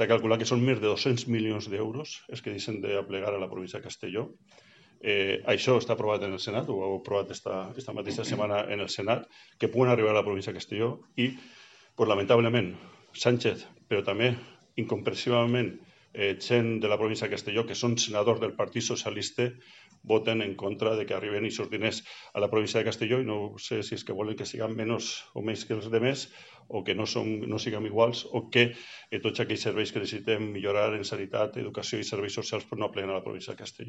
s'ha calculat que són més de 200 milions d'euros els que deixen d'aplegar a la província de Castelló. Això està aprovat en el Senat, ho heu aprovat esta mateixa setmana en el Senat, que puguen arribar a la província de Castelló i, lamentablement, Sánchez, però també incomprensiblement gent de la província de Castelló, que són senadors del Partit Socialista, voten en contra de que arriben aquests diners a la província de Castelló i no sé si és que volen que siguin menys o més que els demés o que no siguem iguals o que tots aquells serveis que necessitem millorar en sanitat, educació i serveis socials no apleguen a la província de Castelló.